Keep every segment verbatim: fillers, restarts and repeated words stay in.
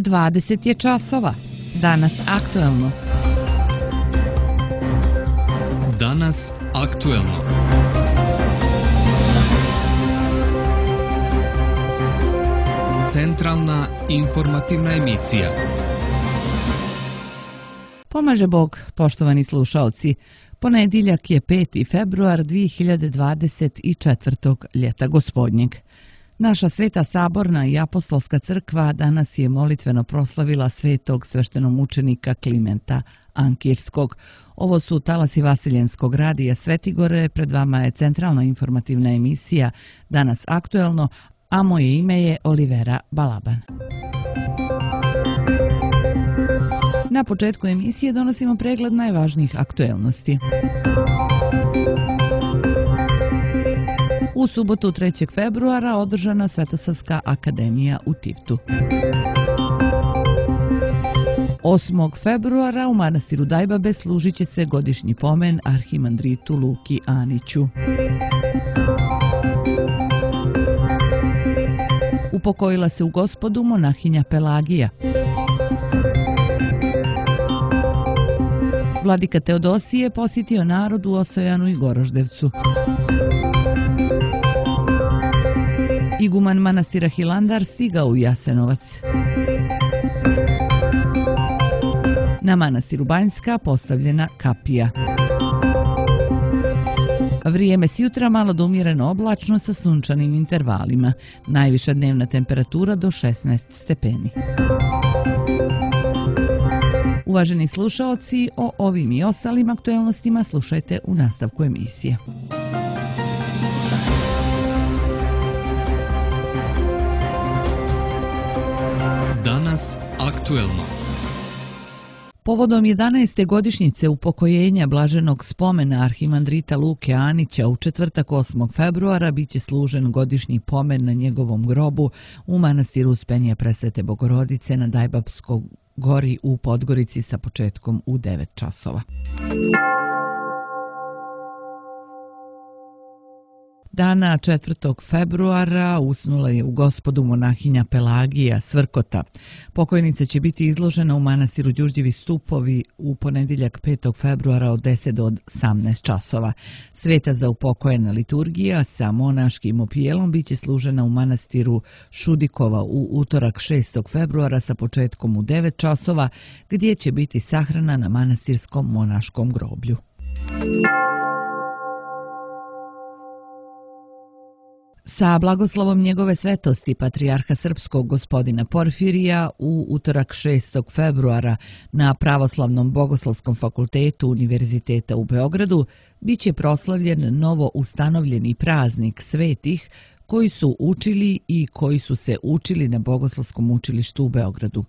dvadeset je časova. Danas aktuelno. Danas aktuelno. Centralna informativna emisija. Pomaže Bog, poštovani slušaoci. Ponedjeljak je peti februar dvije hiljade dvadeset četvrtog ljeta gospodnjeg. Naša Sveta Saborna i Apostolska crkva danas je molitveno proslavila svetog sveštenomučenika Klimenta Ankirskog. Ovo su talasi Vasiljenskog radija Svetigore, pred vama je centralna informativna emisija Danas aktuelno, a moje ime je Olivera Balaban. Na početku emisije donosimo pregled najvažnijih aktuelnosti. U subotu trećeg februara održana Svetosavska akademija u Tivtu. osmog februara u manastiru Dajbabe služit će se godišnji pomen arhimandritu Luki Aniću. Upokojila se u Gospodu monahinja Pelagija. Vladika Teodosije posjetio narod u Osojanu i Goroždevcu. Iguman manastira Hilandar stigao u Jasenovac. Na manastiru Banjska postavljena kapija. Vrijeme s jutra malo do umjereno oblačno sa sunčanim intervalima. Najviša dnevna temperatura do šesnaest stepeni. Uvaženi slušaoci, o ovim i ostalim aktuelnostima slušajte u nastavku emisije. Danas aktuelno. Povodom jedanaeste godišnjice upokojenja blaženog spomena arhimandrita Luke Anića u četvrtak osmog februara biće služen godišnji pomen na njegovom grobu u manastiru Uspenja Presvete Bogorodice na Dajbabskoj gori u Podgorici sa početkom u devet časova. Dana četvrtog februara usnula je u Gospodu monahinja Pelagija Svrkota. Pokojnica će biti izložena u manastiru Đurđevi stupovi u ponedjeljak petog februara od deset do osamnaest časova. Sveta za upokojena liturgija sa monaškim opijelom biće služena u manastiru Šudikova u utorak šestog februara sa početkom u devet časova, gdje će biti sahrana na manastirskom monaškom groblju. Sa blagoslovom njegove svetosti patrijarha srpskog gospodina Porfirija u utorak šestog februara na Pravoslavnom bogoslovskom fakultetu Univerziteta u Beogradu biće proslavljen novo ustanovljeni praznik svetih koji su učili i koji su se učili na Bogoslovskom učilištu u Beogradu.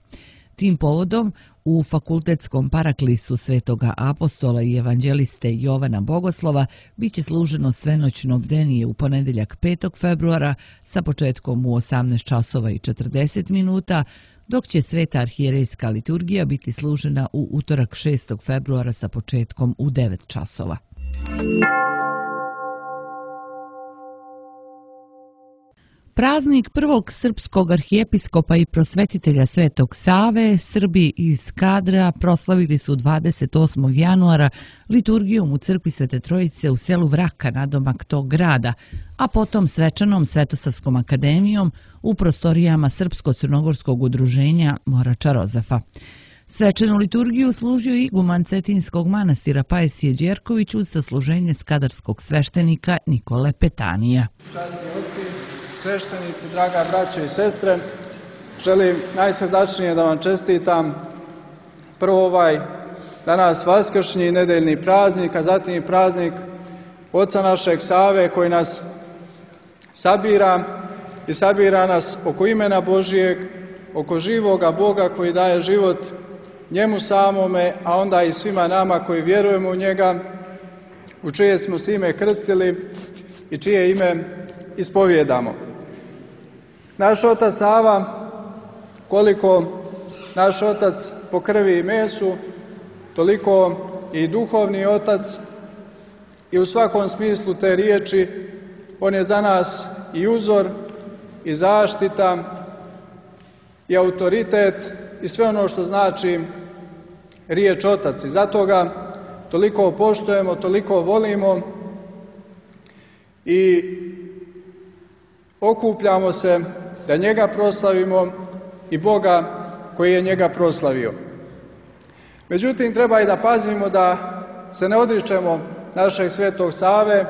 Tim povodom u fakultetskom paraklisu svetoga apostola i evanđeliste Jovana Bogoslova biće služeno svenoćno bdenije u ponedjeljak petog februara sa početkom u osamnaest časova i četrdeset minuta, dok će sveta arhijerejska liturgija biti služena u utorak šestog februara sa početkom u devet časova. Praznik prvog srpskog arhijepiskopa i prosvetitelja Svetog Save, Srbi iz Skadra proslavili su dvadeset osmog januara liturgijom u crkvi Svete Trojice u selu Vraka nadomak tog grada, a potom svečanom Svetosavskom akademijom u prostorijama Srpsko-crnogorskog udruženja Morača Rozafa. Svečanu liturgiju služio i iguman Cetinskog manastira Pajsije Đerković uz sasluženje skadarskog sveštenika Nikole Petanija. Sveštenici, draga braćo i sestre, želim najsrdačnije da vam čestitam prvo ovaj danas vaskršnji nedeljni praznik, a zatim praznik Oca našeg Save koji nas sabira i sabira nas oko imena Božijeg, oko živoga Boga koji daje život njemu samome, a onda i svima nama koji vjerujemo u njega, u čije smo se ime krstili i čije ime ispovjedamo. Naš otac Sava, koliko naš otac po krvi i mesu, toliko i duhovni otac i u svakom smislu te riječi on je za nas i uzor i zaštita i autoritet i sve ono što znači riječ otac. I zato ga toliko poštujemo, toliko volimo i okupljamo se da njega proslavimo i Boga koji je njega proslavio. Međutim, treba i da pazimo da se ne odričemo našeg Svetog Save,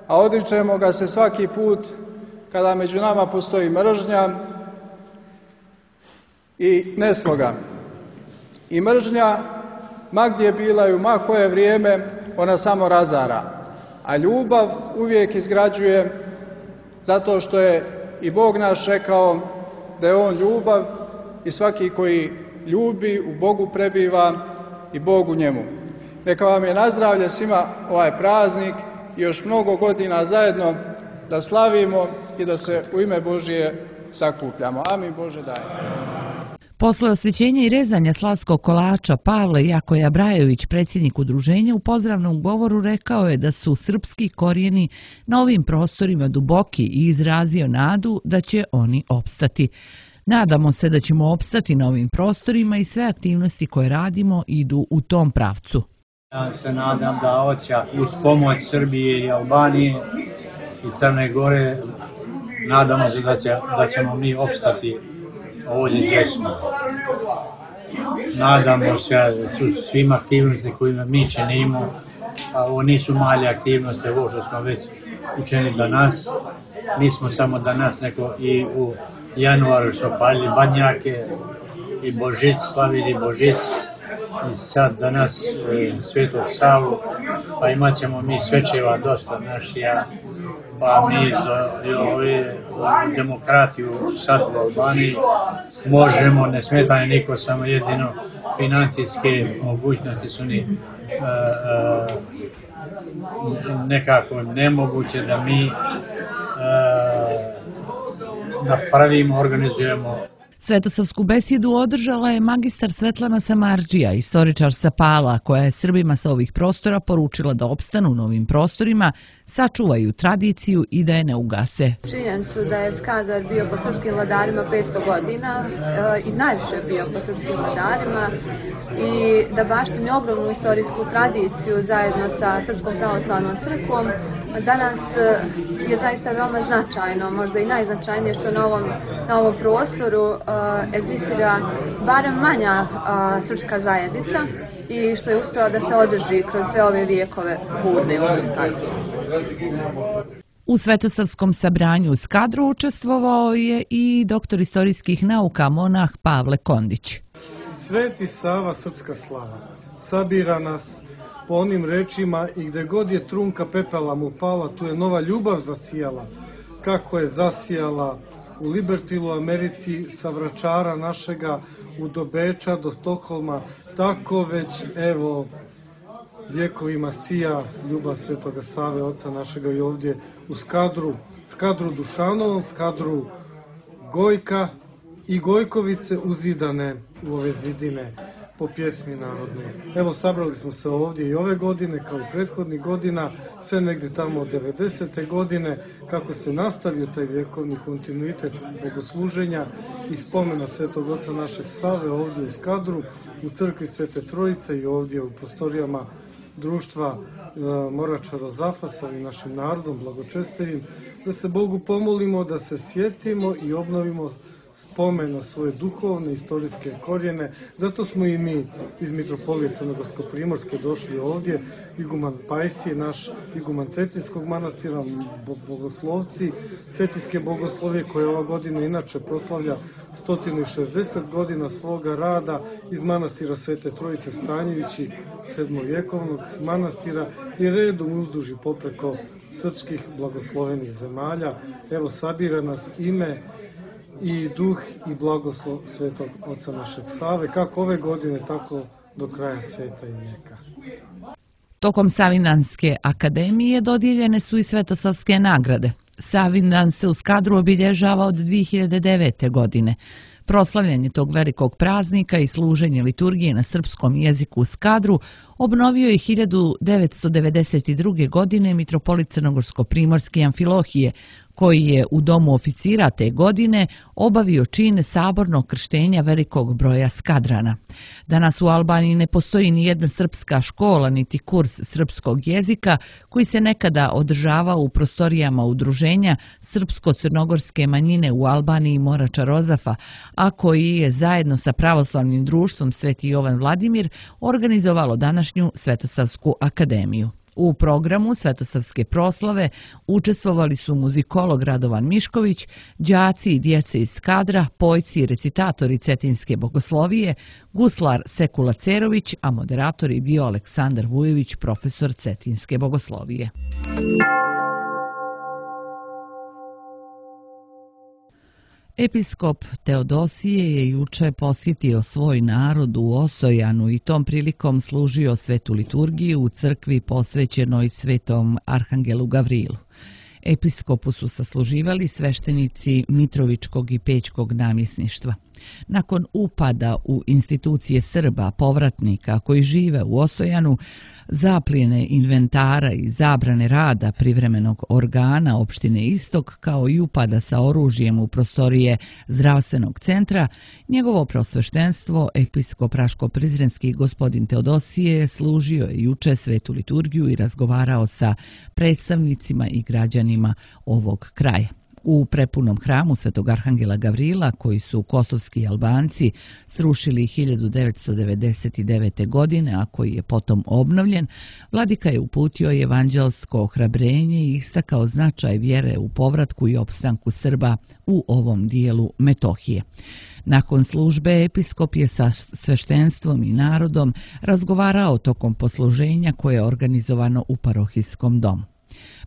a odričemo ga se svaki put kada među nama postoji mržnja i nesloga. I mržnja, ma gdje bila i u ma koje vrijeme, ona samo razara. A ljubav uvijek izgrađuje, zato što je i Bog naš rekao da je On ljubav i svaki koji ljubi u Bogu prebiva i Bog u njemu. Neka vam je na zdravlje svima ovaj praznik i još mnogo godina zajedno da slavimo i da se u ime Božije sakupljamo. Amin, Bože daj. Posle osvećenja i rezanja slavskog kolača Pavle Jakoja Brajović, predsjednik udruženja, u pozdravnom govoru rekao je da su srpski korijeni na ovim prostorima duboki i izrazio nadu da će oni opstati. Nadamo se da ćemo opstati na ovim prostorima i sve aktivnosti koje radimo idu u tom pravcu. Ja se nadam da hoća uz pomoć Srbije i Albanije i Crne Gore, nadamo se da, će, da ćemo mi opstati ovdje gdje smo. Nadamo se da su svim aktivnosti koje mi činimo, a ovo nisu male aktivnosti, ovo što smo već učinili danas, nismo samo danas, nego i u januaru su palili badnjake i Božić, slavili Božić i sad danas e, Svetog Savu, pa imat ćemo mi svečeva dosta našija, pa mi do, do ove demokratiju sad u Albaniji možemo, ne smetanje niko, samo jedino financijske mogućnosti su ni e, e, nekako nemoguće da mi e, napravimo, organizujemo. Svetosavsku besjedu održala je magistar Svetlana Samardžija, istoričar sa Pala, koja je Srbima sa ovih prostora poručila da opstanu u novim prostorima, sačuvaju tradiciju i da je ne ugase. Činjenicu da je Skadar bio po srpskim vladarima petsto godina e, i najviše bio po srpskim vladarima i da baštini ogromnu istorijsku tradiciju zajedno sa Srpskom pravoslavnom crkvom, danas je zaista veoma značajno, možda i najznačajnije što na ovom, na ovom prostoru uh, egzistira barem manja uh, srpska zajednica i što je uspjela da se održi kroz sve ove vijekove burne u Skadru. U Svetosavskom sabranju u Skadru učestvovao je i doktor istorijskih nauka monah Pavle Kondić. Sveti Sava, srpska slava, sabira nas po onim rečima i gde god je trunka pepela mu pala, tu je nova ljubav zasijala, kako je zasijala u Libertilu, Americi, sa Vračara našega, u do Beča, do Stokholma, tako već, evo, vjekovima sija ljubav Svetoga Save, oca našega i ovdje u Skadru, Skadru Dušanovom, Skadru Gojka i Gojkovice uzidane u ove zidine po pjesmi narodne. Evo, sabrali smo se ovdje i ove godine, kao i prethodnih godina, sve negdje tamo od devedesete godine, kako se nastavio taj vjekovni kontinuitet bogosluženja i spomena Svetog Oca našeg Save ovdje u Skadru, u crkvi Svete Trojice i ovdje u prostorijama društva e, Morača Zafa sa našim narodom blagočestevim, da se Bogu pomolimo, da se sjetimo i obnovimo spomen na svoje duhovne, istorijske korijene. Zato smo i mi iz Mitropolije Crnogorsko-Primorske došli ovdje. Iguman Pajsije, naš iguman Cetinskog manastira, bogoslovci Cetinske bogoslovije, koje ova godina inače proslavlja sto šezdeset godina svoga rada, iz manastira Svete Trojice Stanjevići, sedmovjekovnog manastira, i redom uzduži popreko srpskih blagoslovenih zemalja. Evo, sabira nas ime i duh i blagoslov Svetog Oca našeg Save, kako ove godine, tako do kraja sveta i vijeka. Tokom Savindanske akademije dodijeljene su i Svetosavske nagrade. Savindan se u Skadru obilježava od dvije hiljade devete. godine. Proslavljanje tog velikog praznika i služenje liturgije na srpskom jeziku u Skadru obnovio je hiljadu devetsto devedeset druge. godine mitropolit Crnogorsko-Primorske Amfilohije, koji je u domu oficira te godine obavio čin sabornog krštenja velikog broja skadrana. Danas u Albaniji ne postoji ni jedna srpska škola niti kurs srpskog jezika koji se nekada održavao u prostorijama udruženja srpsko-crnogorske manjine u Albaniji Morača Rozafa, a koji je zajedno sa pravoslavnim društvom Sveti Jovan Vladimir organizovalo današnju Svetosavsku akademiju. U programu Svetosavske proslave učestvovali su muzikolog Radovan Mišković, đaci i djece iz kadra, pojci i recitatori Cetinske bogoslovije, guslar Sekula Cerović, a moderator je bio Aleksandar Vujović, profesor Cetinske bogoslovije. Episkop Teodosije je juče posjetio svoj narod u Osojanu i tom prilikom služio svetu liturgiju u crkvi posvećenoj svetom Arhangelu Gavrilu. Episkopu su sasluživali sveštenici Mitrovičkog i Pećkog namjesništva. Nakon upada u institucije Srba, povratnika koji žive u Osojanu, zaplijene inventara i zabrane rada privremenog organa opštine Istok, kao i upada sa oružjem u prostorije zdravstvenog centra, njegovo preosveštenstvo, episkop Raško-Prizrenski gospodin Teodosije, služio je juče svetu liturgiju i razgovarao sa predstavnicima i građanima ovog kraja. U prepunom hramu Svetog Arhangela Gavrila, koji su kosovski Albanci srušili hiljadu devetsto devedeset devete. godine, a koji je potom obnovljen, vladika je uputio evanđelsko ohrabrenje i istakao značaj vjere u povratku i opstanku Srba u ovom dijelu Metohije. Nakon službe, episkop je sa sveštenstvom i narodom razgovarao tokom posluženja koje je organizovano u parohijskom domu.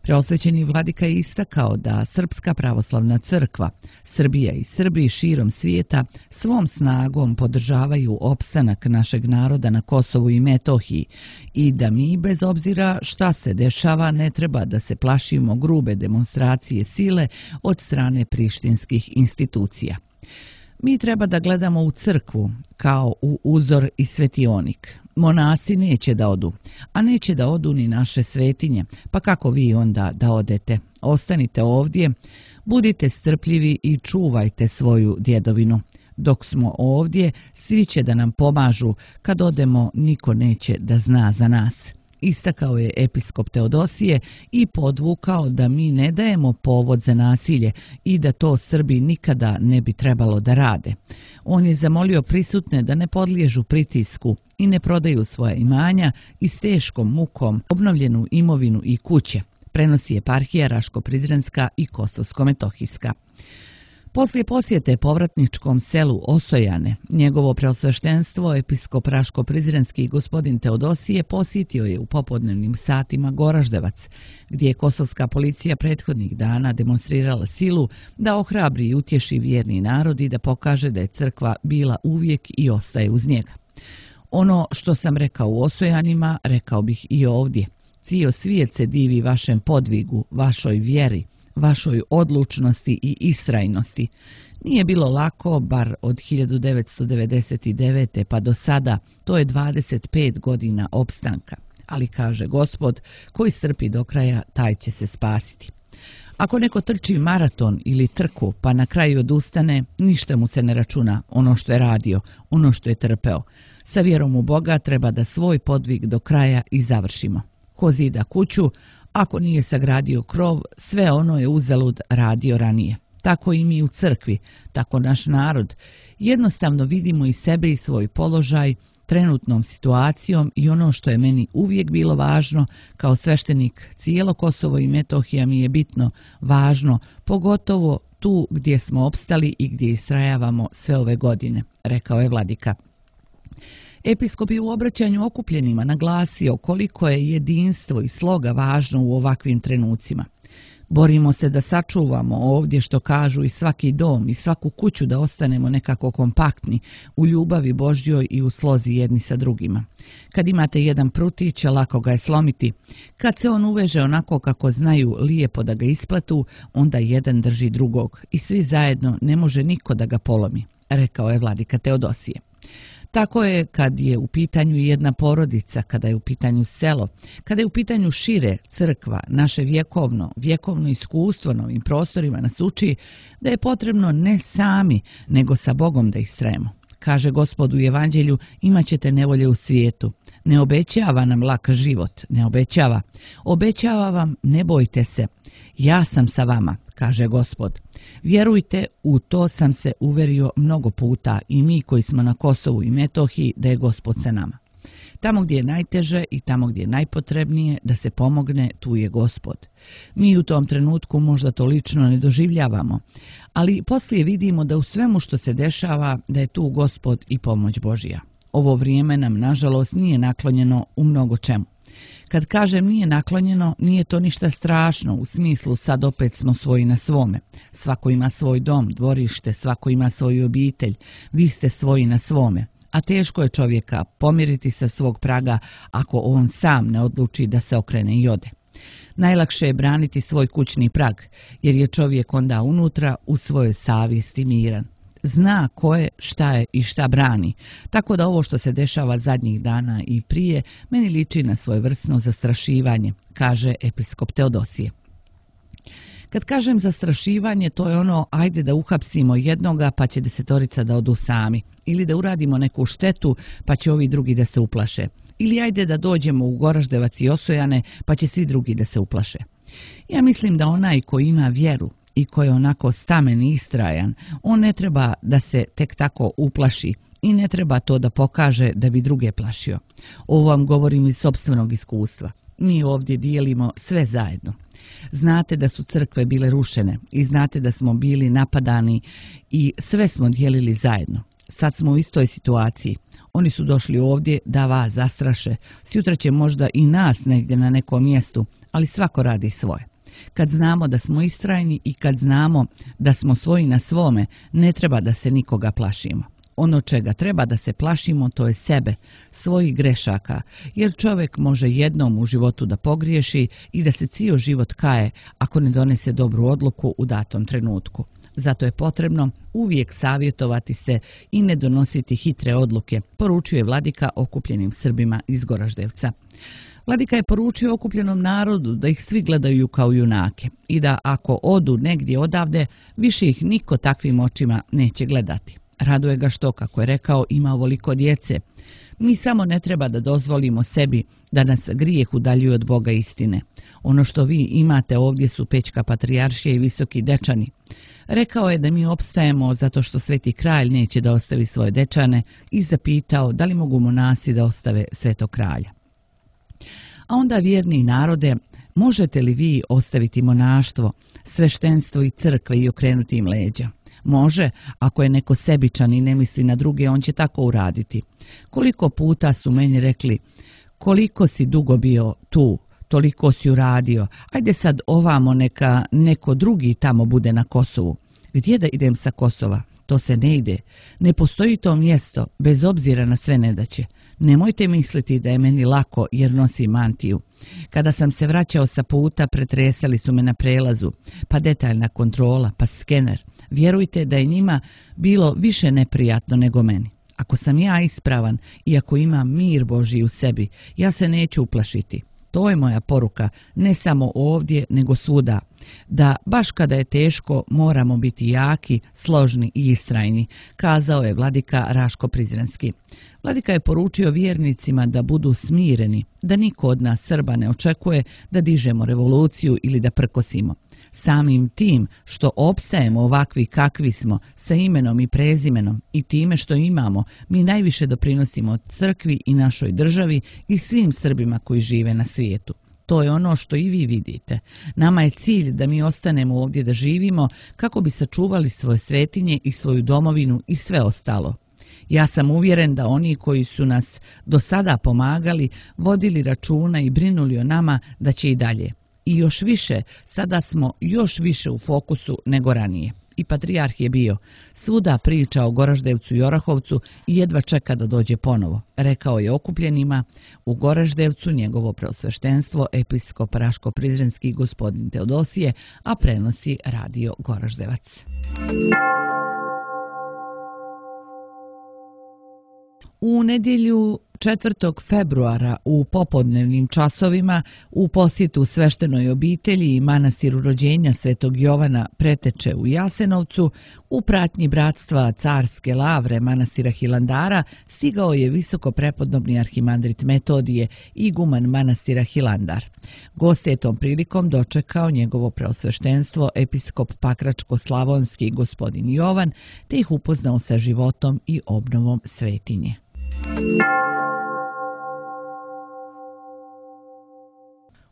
Preosvećeni vladika je istakao da Srpska pravoslavna crkva, Srbija i Srbi širom svijeta svom snagom podržavaju opstanak našeg naroda na Kosovu i Metohiji i da mi, bez obzira šta se dešava, ne treba da se plašimo grube demonstracije sile od strane prištinskih institucija. Mi treba da gledamo u crkvu kao u uzor i svetionik. Monasi neće da odu, a neće da odu ni naše svetinje, pa kako vi onda da odete? Ostanite ovdje, budite strpljivi i čuvajte svoju djedovinu. Dok smo ovdje, svi će da nam pomažu, kad odemo niko neće da zna za nas. Istakao je episkop Teodosije i podvukao da mi ne dajemo povod za nasilje i da to Srbi nikada ne bi trebalo da rade. On je zamolio prisutne da ne podliježu pritisku i ne prodaju svoja imanja i s teškom mukom obnovljenu imovinu i kuće, prenosi eparhija Raško-Prizrenska i Kosovsko-Metohijska. Poslije posjete povratničkom selu Osojane, njegovo preosveštenstvo, episkop Raško-Prizrenski gospodin Teodosije posjetio je u popodnevnim satima Goraždevac, gdje je kosovska policija prethodnih dana demonstrirala silu da ohrabri i utješi vjerni narod i da pokaže da je crkva bila uvijek i ostaje uz njega. Ono što sam rekao u Osojanima, rekao bih i ovdje. Cijel svijet se divi vašem podvigu, vašoj vjeri, vašoj odlučnosti i istrajnosti. Nije bilo lako, bar od hiljadu devetsto devedeset devete. pa do sada, to je dvadeset pet godina opstanka. Ali kaže Gospod, koji strpi do kraja, taj će se spasiti. Ako neko trči maraton ili trku, pa na kraju odustane, ništa mu se ne računa ono što je radio, ono što je trpeo. Sa vjerom u Boga treba da svoj podvig do kraja i završimo. Ko zida kuću, ako nije sagradio krov, sve ono je uzalud radio ranije. Tako i mi u crkvi, tako naš narod. Jednostavno vidimo i sebe i svoj položaj, trenutnom situacijom i ono što je meni uvijek bilo važno, kao sveštenik cijelo Kosovo i Metohija mi je bitno, važno, pogotovo tu gdje smo opstali i gdje istrajavamo sve ove godine, rekao je vladika. Episkop je u obraćanju okupljenima naglasio koliko je jedinstvo i sloga važno u ovakvim trenucima. Borimo se da sačuvamo ovdje što kažu i svaki dom i svaku kuću da ostanemo nekako kompaktni u ljubavi Božjoj i u slozi jedni sa drugima. Kad imate jedan prutić, lako ga je slomiti. Kad se on uveže onako kako znaju lijepo da ga isplatu, onda jedan drži drugog i svi zajedno ne može niko da ga polomi, rekao je vladika Teodosije. Tako je kad je u pitanju jedna porodica, kada je u pitanju selo, kada je u pitanju šire crkva, naše vjekovno, vjekovno iskustvo na ovim prostorima nas uči da je potrebno ne sami, nego sa Bogom da istrajemo. Kaže Gospod u Evanđelju, imat ćete nevolje u svijetu. Ne obećava nam lak život, ne obećava. Obećava vam, ne bojte se, ja sam sa vama, kaže Gospod. Vjerujte, u to sam se uverio mnogo puta i mi koji smo na Kosovu i Metohiji da je Gospod sa nama. Tamo gdje je najteže i tamo gdje je najpotrebnije da se pomogne, tu je Gospod. Mi u tom trenutku možda to lično ne doživljavamo, ali poslije vidimo da u svemu što se dešava da je tu Gospod i pomoć Božja. Ovo vrijeme nam, nažalost, nije naklonjeno u mnogo čemu. Kad kažem nije naklonjeno, nije to ništa strašno, u smislu sad opet smo svoji na svome. Svako ima svoj dom, dvorište, svako ima svoju obitelj, vi ste svoji na svome. A teško je čovjeka pomiriti sa svog praga ako on sam ne odluči da se okrene i ode. Najlakše je braniti svoj kućni prag, jer je čovjek onda unutra u svojoj savjesti miran. Zna ko je, šta je i šta brani, tako da ovo što se dešava zadnjih dana i prije meni liči na svojevrsno zastrašivanje, kaže episkop Teodosije. Kad kažem zastrašivanje, to je ono ajde da uhapsimo jednoga pa će desetorica da odu sami, ili da uradimo neku štetu pa će ovi drugi da se uplaše, ili ajde da dođemo u Goraždevac i Osojane pa će svi drugi da se uplaše. Ja mislim da onaj ko ima vjeru i ko je onako stamen i istrajan, on ne treba da se tek tako uplaši i ne treba to da pokaže da bi druge plašio. Ovo vam govorim iz sopstvenog iskustva. Mi ovdje dijelimo sve zajedno. Znate da su crkve bile rušene i znate da smo bili napadani i sve smo dijelili zajedno. Sad smo u istoj situaciji. Oni su došli ovdje da vas zastraše. Sutra će možda i nas negdje na nekom mjestu, ali svako radi svoje. Kad znamo da smo istrajni i kad znamo da smo svoji na svome, ne treba da se nikoga plašimo. Ono čega treba da se plašimo, to je sebe, svojih grešaka, jer čovjek može jednom u životu da pogriješi i da se cijel život kaje ako ne donese dobru odluku u datom trenutku. Zato je potrebno uvijek savjetovati se i ne donositi hitre odluke, poručuje vladika okupljenim Srbima iz Goraždevca. Vladika je poručio okupljenom narodu da ih svi gledaju kao junake i da ako odu negdje odavde, više ih niko takvim očima neće gledati. Raduje ga što, kako je rekao, ima ovoliko djece. Mi samo ne treba da dozvolimo sebi da nas grijeh udaljuje od Boga istine. Ono što vi imate ovdje su Pećka patrijaršija i Visoki Dečani. Rekao je da mi opstajemo zato što Sveti Kralj neće da ostavi svoje dečane i zapitao da li mogu monasi da ostave Svetog Kralja. A onda, vjerni narode, možete li vi ostaviti monaštvo, sveštenstvo i crkve i okrenuti im leđa? Može, ako je neko sebičan i ne misli na druge, on će tako uraditi. Koliko puta su meni rekli, koliko si dugo bio tu, toliko si uradio, ajde sad ovamo neka neko drugi tamo bude na Kosovu. Gdje da idem sa Kosova? To se ne ide. Ne postoji to mjesto, bez obzira na sve nedaće. Nemojte misliti da je meni lako jer nosim mantiju. Kada sam se vraćao sa puta, pretresali su me na prelazu, pa detaljna kontrola, pa skener. Vjerujte da je njima bilo više neprijatno nego meni. Ako sam ja ispravan i ako imam mir Božji u sebi, ja se neću uplašiti. To je moja poruka, ne samo ovdje, nego svuda. Da baš kada je teško moramo biti jaki, složni i istrajni, kazao je vladika Raško Prizrenski. Vladika je poručio vjernicima da budu smireni, da niko od nas Srba ne očekuje da dižemo revoluciju ili da prkosimo. Samim tim što opstajemo ovakvi kakvi smo, sa imenom i prezimenom i time što imamo, mi najviše doprinosimo crkvi i našoj državi i svim Srbima koji žive na svijetu. To je ono što i vi vidite. Nama je cilj da mi ostanemo ovdje da živimo kako bi sačuvali svoje svetinje i svoju domovinu i sve ostalo. Ja sam uvjeren da oni koji su nas do sada pomagali, vodili računa i brinuli o nama, da će i dalje. I još više, sada smo još više u fokusu nego ranije. I patrijarh je bio. Svuda priča o Goraždevcu i Orahovcu i jedva čeka da dođe ponovo, rekao je okupljenima u Goraždevcu njegovo preosveštenstvo episkop Raško Prizrenski gospodin Teodosije, a prenosi radio Goraždevac. U nedjelju četvrtog februara u popodnevnim časovima u posjetu sveštenoj obitelji i manastiru rođenja Svetog Jovana Preteče u Jasenovcu u pratnji bratstva Carske lavre manastira Hilandara stigao je visoko prepodobni arhimandrit Metodije, iguman manastira Hilandar. Goste je tom prilikom dočekao njegovo preosveštenstvo episkop Pakračko-slavonski gospodin Jovan, te ih upoznao sa životom i obnovom svetinje.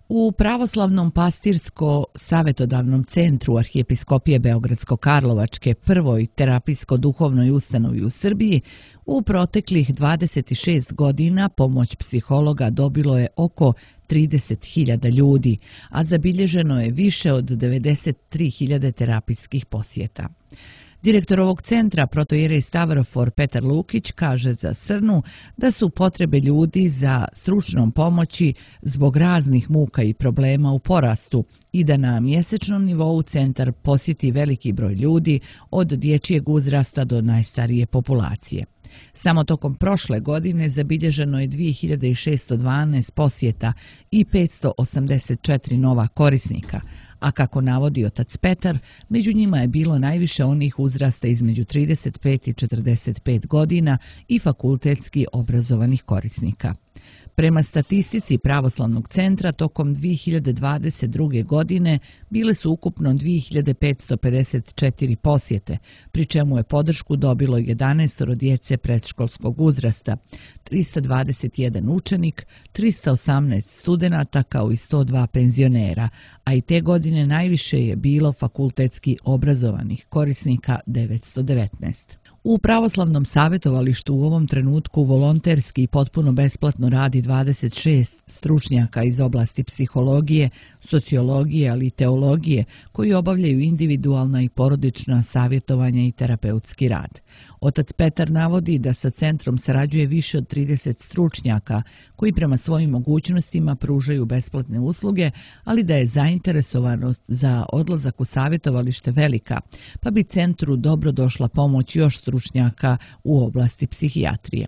U Pravoslavnom pastirsko-savjetodavnom centru Arhijepiskopije Beogradsko-Karlovačke, prvoj terapijsko-duhovnoj ustanovi u Srbiji, u proteklih dvadeset šest godina pomoć psihologa dobilo je oko trideset hiljada ljudi, a zabilježeno je više od devedeset tri hiljade terapijskih posjeta. Direktor ovog centra, protoijerej Stavrofor Petar Lukić, kaže za Srnu da su potrebe ljudi za stručnom pomoći zbog raznih muka i problema u porastu i da na mjesečnom nivou centar posjeti veliki broj ljudi od dječjeg uzrasta do najstarije populacije. Samo tokom prošle godine zabilježeno je dvije hiljade šesto dvanaest posjeta i petsto osamdeset četiri nova korisnika, a kako navodi otac Petar, među njima je bilo najviše onih uzrasta između trideset pet i četrdeset pet godina i fakultetski obrazovanih korisnika. Prema statistici Pravoslavnog centra, tokom dvije hiljade dvadeset druge. godine bile su ukupno dvije hiljade petsto pedeset četiri posjete, pri čemu je podršku dobilo jedanaest djece predškolskog uzrasta, trista dvadeset jedan učenik, trista osamnaest studenata kao i sto dva penzionera, a i te godine najviše je bilo fakultetski obrazovanih korisnika devetsto devetnaest. U Pravoslavnom savjetovalištu u ovom trenutku volonterski i potpuno besplatno radi dvadeset šest stručnjaka iz oblasti psihologije, sociologije, ali i teologije, koji obavljaju individualna i porodična savjetovanja i terapeutski rad. Otac Petar navodi da sa centrom sarađuje više od trideset stručnjaka koji prema svojim mogućnostima pružaju besplatne usluge, ali da je zainteresovanost za odlazak u savjetovalište velika, pa bi centru dobro došla pomoć još stručnjaka u oblasti psihijatrije.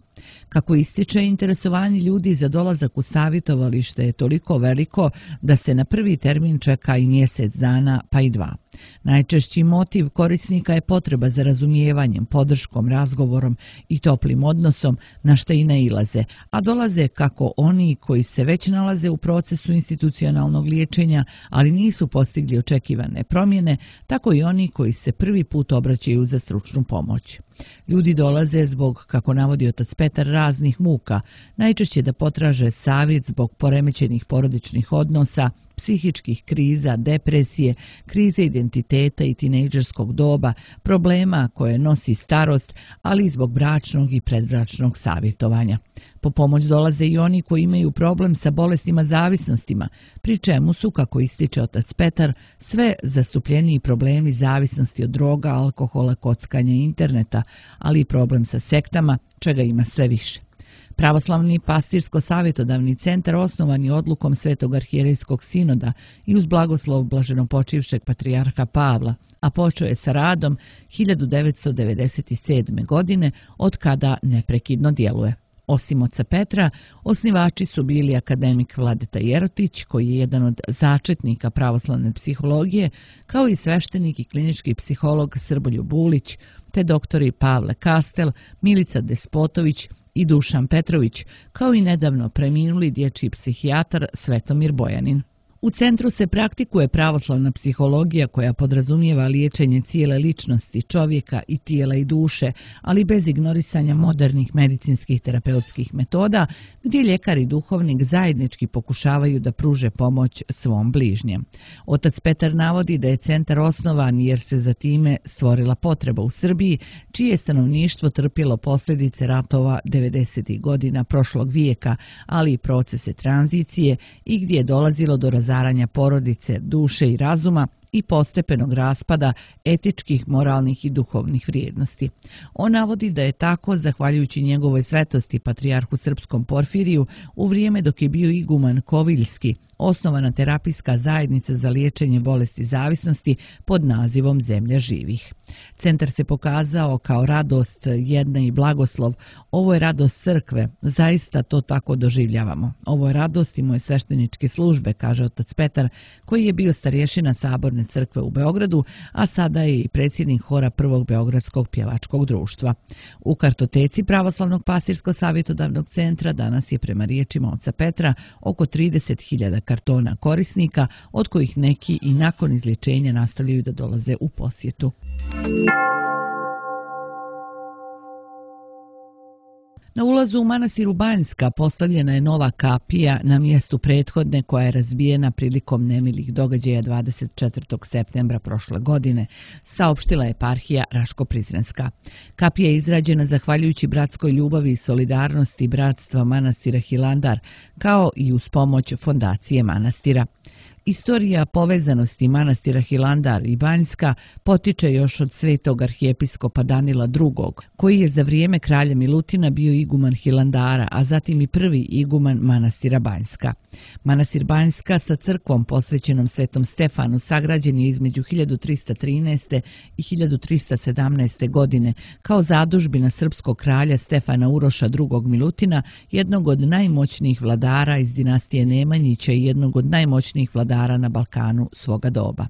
Kako ističe, interesovanje ljudi za dolazak u savjetovalište je toliko veliko da se na prvi termin čeka i mjesec dana, pa i dva. Najčešći motiv korisnika je potreba za razumijevanjem, podrškom, razgovorom i toplim odnosom, na što i nailaze, a dolaze kako oni koji se već nalaze u procesu institucionalnog liječenja, ali nisu postigli očekivane promjene, tako i oni koji se prvi put obraćaju za stručnu pomoć. Ljudi dolaze zbog, kako navodi otac Petar, raznih muka, najčešće da potraže savjet zbog poremećenih porodičnih odnosa, psihičkih kriza, depresije, krize identiteta i tinejdžerskog doba, problema koje nosi starost, ali i zbog bračnog i predbračnog savjetovanja. Po pomoć dolaze i oni koji imaju problem sa bolestima zavisnostima, pri čemu su, kako ističe otac Petar, sve zastupljeniji problemi zavisnosti od droga, alkohola, kockanja i interneta, ali i problem sa sektama, čega ima sve više. Pravoslavni pastirsko-savjetodavni centar osnovan je odlukom Svetog arhijerejskog sinoda i uz blagoslov blaženopočivšeg patrijarha Pavla, a počeo je sa radom hiljadu devetsto devedeset sedme. godine, od kada neprekidno djeluje. Osim oca Petra, osnivači su bili akademik Vladeta Jerotić, koji je jedan od začetnika pravoslavne psihologije, kao i sveštenik i klinički psiholog Srboljub Bulić, te doktori Pavle Kastel, Milica Despotović i Dušan Petrović, kao i nedavno preminuli dječji psihijatar Svetomir Bojanin. U centru se praktikuje pravoslavna psihologija koja podrazumijeva liječenje cijele ličnosti, čovjeka i tijela i duše, ali bez ignorisanja modernih medicinskih terapeutskih metoda, gdje ljekar i duhovnik zajednički pokušavaju da pruže pomoć svom bližnjem. Otac Petar navodi da je centar osnovan jer se za time stvorila potreba u Srbiji, čije je stanovništvo trpjelo posljedice ratova devedesetih godina prošlog vijeka, ali i procese tranzicije i gdje je dolazilo do razaranja porodice, duše i razuma i postepenog raspada etičkih, moralnih i duhovnih vrijednosti. On navodi da je tako, zahvaljujući njegovoj svetosti patrijarhu srpskom Porfiriju, u vrijeme dok je bio iguman Koviljski, osnovana terapijska zajednica za liječenje bolesti zavisnosti pod nazivom Zemlja živih. Centar se pokazao kao radost jedne i blagoslov. Ovo je radost crkve, zaista to tako doživljavamo. Ovo je radost i moje svešteničke službe, kaže otac Petar, koji je bio starješina Saborne crkve u Beogradu, a sada je i predsjednik hora Prvog beogradskog pjevačkog društva. U kartoteci Pravoslavnog pastirsko-savjetodavnog centra danas je prema riječima oca Petra oko trideset hiljada kartona korisnika, od kojih neki i nakon izlječenja nastavljaju da dolaze u posjetu. Na ulazu u manastiru Banjska postavljena je nova kapija na mjestu prethodne koja je razbijena prilikom nemilih događaja dvadeset četvrtog septembra prošle godine, saopštila eparhija Raško-Prizrenska. Kapija je izrađena zahvaljujući bratskoj ljubavi i solidarnosti bratstva manastira Hilandar, kao i uz pomoć fondacije manastira. Istorija povezanosti manastira Hilandar i Banjska potiče još od svetog arhijepiskopa Danila drugog, koji je za vrijeme kralja Milutina bio iguman Hilandara, a zatim i prvi iguman manastira Banjska. Manastir Banjska sa crkvom posvećenom Svetom Stefanu sagrađen je između hiljadu trista trinaeste. i hiljadu trista sedamnaeste. godine kao zadužbina srpskog kralja Stefana Uroša drugog Milutina, jednog od najmoćnijih vladara iz dinastije Nemanjića i jednog od najmoćnijih vladara na Balkanu svoga doba.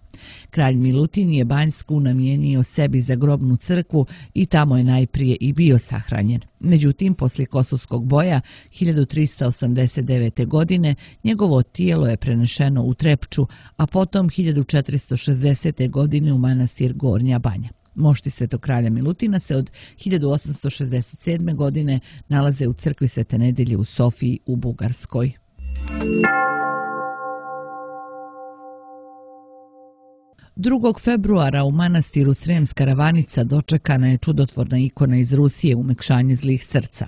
Kralj Milutin je Banjsku namijenio sebi za grobnu crkvu i tamo je najprije i bio sahranjen. Međutim, poslije Kosovskog boja hiljadu trista osamdeset devete. godine njegovo tijelo je prenešeno u Trepču, a potom hiljadu četiristo šezdesete. godine u manastir Gornja Banja. Mošti Svetog kralja Milutina se od hiljadu osamsto šezdeset sedme. godine nalaze u crkvi Svete Nedelje u Sofiji u Bugarskoj. drugog februara u manastiru Sremska Ravanica dočekana je čudotvorna ikona iz Rusije, umekšanje zlih srca.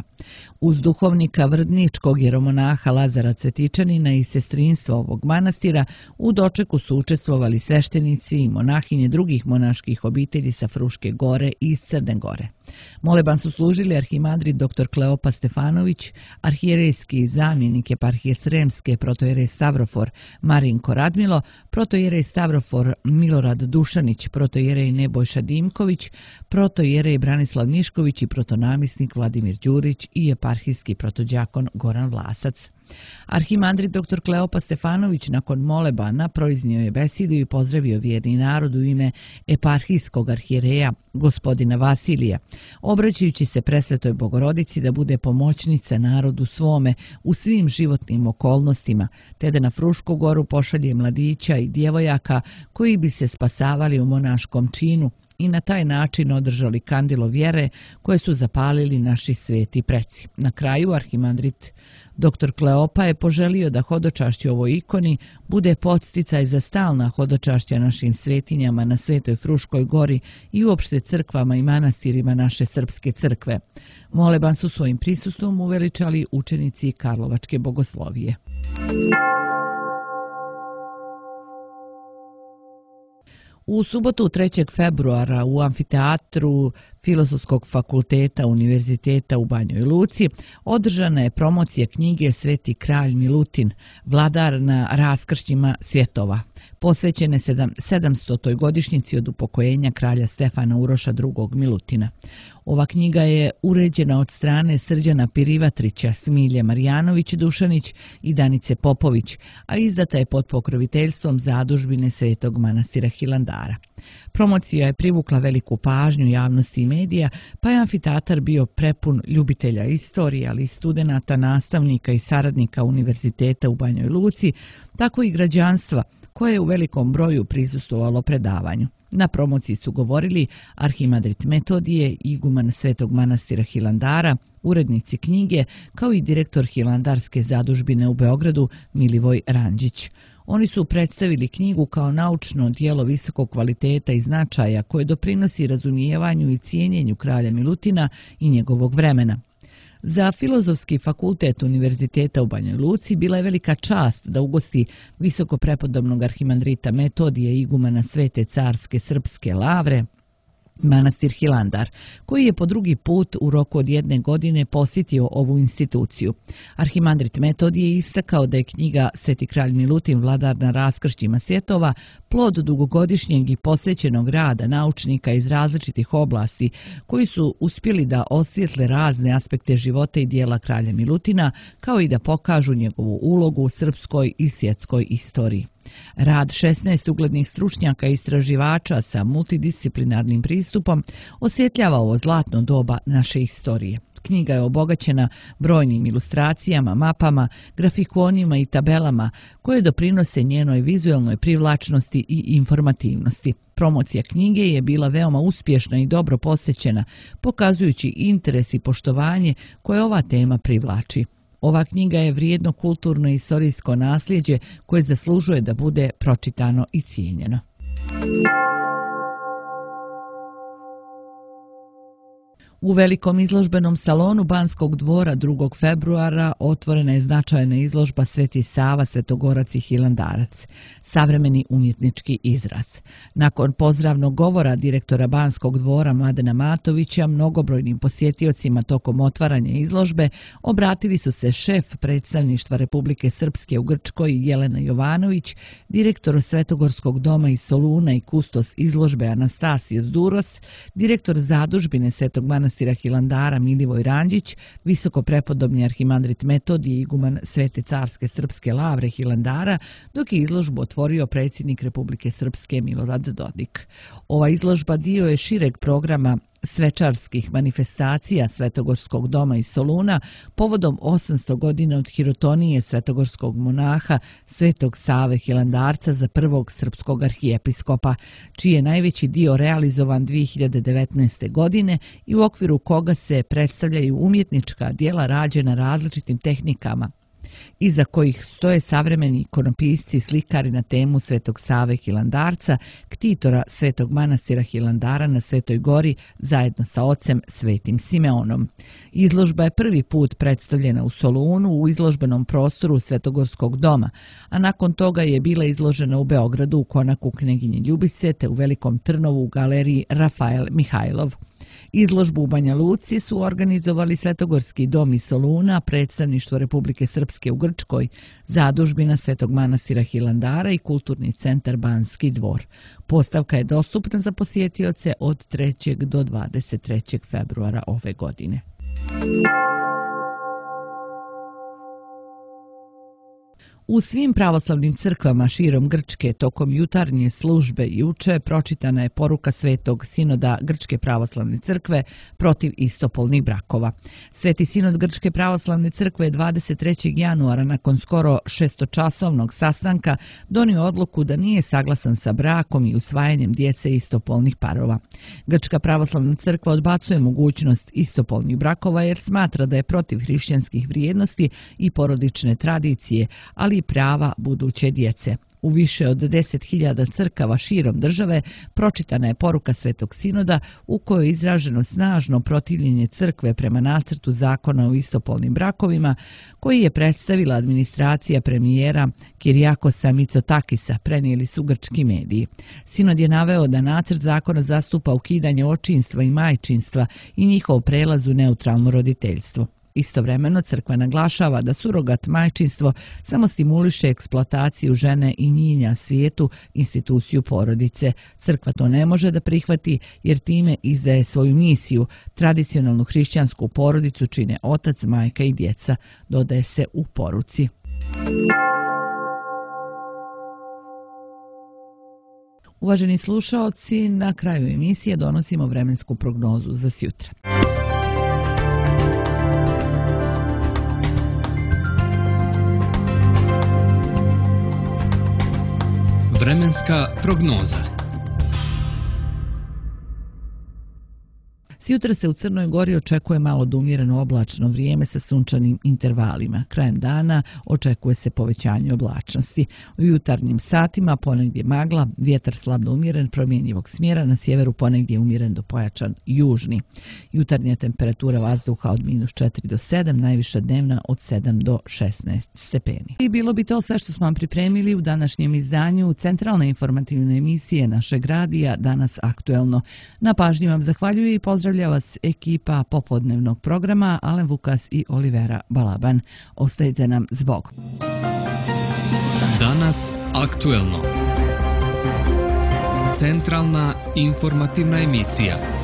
Uz duhovnika vrdničkog jeromonaha Lazara Cvetičanina i sestrinstva ovog manastira u dočeku su učestvovali sveštenici i monahinje drugih monaških obitelji sa Fruške gore i iz Crne Gore. Moleban su služili arhimandrit dr Kleopa Stefanović, arhijerejski zamjenik eparhije Sremske protojerej Stavrofor Marinko Radmilo, protojerej Stavrofor Milorad Dušanić, protojerej Nebojša Dimković, protojerej Branislav Mišković i protonamisnik Vladimir Đurić i eparhijski protođakon Goran Vlasac. Arhimandrit dr Kleopa Stefanović nakon molebana proiznio je besedu i pozdravio vjerni narod u ime eparhijskog arhijereja gospodina Vasilija, obraćajući se presvetoj Bogorodici da bude pomoćnica narodu svome u svim životnim okolnostima, te da na Frušku goru pošalje mladića i djevojaka koji bi se spasavali u monaškom činu i na taj način održali kandilo vjere koje su zapalili naši sveti preci. Na kraju arhimandrit dr Kleopa je poželio da hodočašće ovoj ikoni bude podsticaj za stalna hodočašća našim svetinjama na Svetoj Fruškoj gori i uopšte crkvama i manastirima naše srpske crkve. Moleban su svojim prisustvom uveličali učenici Karlovačke bogoslovije. U subotu trećeg februara u amfiteatru Filozofskog fakulteta Univerziteta u Banjoj Luci održana je promocija knjige Sveti kralj Milutin, vladar na raskršćima svjetova, posvećene sedamstotoj godišnjici od upokojenja kralja Stefana Uroša drugog Milutina. Ova knjiga je uređena od strane Srđana Pirivatrića, Smilje Marijanović Dušanić i Danice Popović, a izdata je pod pokroviteljstvom zadužbine Svetog manastira Hilandara. Promocija je privukla veliku pažnju javnosti i medija, pa je amfiteatar bio prepun ljubitelja istorije, ali i studenata, nastavnika i saradnika Univerziteta u Banjoj Luci, tako i građanstva koje je u velikom broju prisustvovalo predavanju. Na promociji su govorili arhimandrit Metodije, iguman Svetog manastira Hilandara, urednici knjige, kao i direktor Hilandarske zadužbine u Beogradu Milivoj Ranđić. Oni su predstavili knjigu kao naučno dijelo visokog kvaliteta i značaja koje doprinosi razumijevanju i cijenjenju kralja Milutina i njegovog vremena. Za Filozofski fakultet Univerziteta u Banjoj Luci bila je velika čast da ugosti visokoprepodobnog arhimandrita Metodije, igumana Svete carske srpske lavre, manastir Hilandar, koji je po drugi put u roku od jedne godine posjetio ovu instituciju. Arhimandrit Metodije je istakao da je knjiga Sveti kralj Milutin, vladar na raskršćima svjetova, plod dugogodišnjeg i posvećenog rada naučnika iz različitih oblasti koji su uspjeli da osvijetle razne aspekte života i dijela kralja Milutina, kao i da pokažu njegovu ulogu u srpskoj i svjetskoj istoriji. Rad šesnaest uglednih stručnjaka i istraživača sa multidisciplinarnim pristupom osvjetljava ovo zlatno doba naše istorije. Knjiga je obogaćena brojnim ilustracijama, mapama, grafikonima i tabelama koje doprinose njenoj vizualnoj privlačnosti i informativnosti. Promocija knjige je bila veoma uspješna i dobro posjećena, pokazujući interes i poštovanje koje ova tema privlači. Ova knjiga je vrijedno kulturno i istorijsko nasljeđe koje zaslužuje da bude pročitano i cijenjeno. U velikom izložbenom salonu Banskog dvora drugog februara otvorena je značajna izložba Sveti Sava, Svetogorac i Hilandarac, savremeni umjetnički izraz. Nakon pozdravnog govora direktora Banskog dvora Mladena Matovića, mnogobrojnim posjetiocima tokom otvaranja izložbe obratili su se šef predstavništva Republike Srpske u Grčkoj Jelena Jovanović, direktor Svetogorskog doma iz Soluna i kustos izložbe Anastasijos Duros, direktor zadužbine Svetog manastira Hilandara Milivoj Ranđić, visoko prepodobni arhimandrit Metodije i iguman Svete carske srpske lavre Hilandara, dok je izložbu otvorio predsjednik Republike Srpske Milorad Dodik. Ova izložba dio je šireg programa svečarskih manifestacija Svetogorskog doma iz Soluna povodom osamsto godina od hirotonije svetogorskog monaha Svetog Save Hilandarca za prvog srpskog arhijepiskopa, čiji je najveći dio realizovan dvije hiljade devetnaeste. godine i u okviru koga se predstavljaju umjetnička djela rađena različitim tehnikama, iza kojih stoje savremeni ikonopisci i slikari na temu Svetog Save Hilandarca, ktitora Svetog manastira Hilandara na Svetoj gori zajedno sa ocem Svetim Simeonom. Izložba je prvi put predstavljena u Solunu u izložbenom prostoru Svetogorskog doma, a nakon toga je bila izložena u Beogradu u konaku Kneginje Ljubice te u Velikom Trnovu u galeriji Rafael Mihajlov. Izložbu u Banja Luci su organizovali Svetogorski dom iz Soluna, predstavništvo Republike Srpske u Grčkoj, zadužbina Svetog manastira Hilandara i kulturni centar Banski dvor. Postavka je dostupna za posjetioce od trećeg do dvadeset trećeg februara ove godine. U svim pravoslavnim crkvama širom Grčke tokom jutarnje službe juče pročitana je poruka Svetog sinoda Grčke pravoslavne crkve protiv istopolnih brakova. Sveti sinod Grčke pravoslavne crkve je dvadeset trećeg januara nakon skoro šestočasovnog sastanka donio odluku da nije saglasan sa brakom i usvajanjem djece istopolnih parova. Grčka pravoslavna crkva odbacuje mogućnost istopolnih brakova jer smatra da je protiv hrišćanskih vrijednosti i porodične tradicije, ali i prava buduće djece. U više od deset hiljada crkava širom države pročitana je poruka Svetog sinoda u kojoj je izraženo snažno protivljenje crkve prema nacrtu zakona o istopolnim brakovima koji je predstavila administracija premijera Kirijakosa Mitsotakisa, prenijeli su grčki mediji. Sinod je naveo da nacrt zakona zastupa ukidanje očinstva i majčinstva i njihov prelaz u neutralno roditeljstvo. Istovremeno crkva naglašava da surogat majčinstvo samo stimuliše eksploataciju žene i njenja svijetu, instituciju porodice. Crkva to ne može da prihvati jer time izdaje svoju misiju. Tradicionalnu hrišćansku porodicu čine otac, majka i djeca, dodaje se u poruci. Uvaženi slušaoci, na kraju emisije donosimo vremensku prognozu za sjutra. Vremenska prognoza. Sjutra se u Crnoj Gori očekuje malo do umjereno oblačno vrijeme sa sunčanim intervalima. Krajem dana očekuje se povećanje oblačnosti. U jutarnjim satima ponegdje magla, vjetar slab do umjeren promjenjivog smjera, na sjeveru ponegdje umjeren do pojačan južni. Jutarnja temperatura vazduha od minus četiri do sedam, najviša dnevna od sedam do šesnaest stepeni. I bilo bi to sve što smo vam pripremili u današnjem izdanju centralne informativne emisije našeg radija Danas aktuelno. Na pažnji vam zahvaljuje i pozdravlja vas ekipa popodnevnog programa Alen Vukas i Olivera Balaban. Ostajte nam s Bogom. Danas aktuelno. Centralna informativna emisija.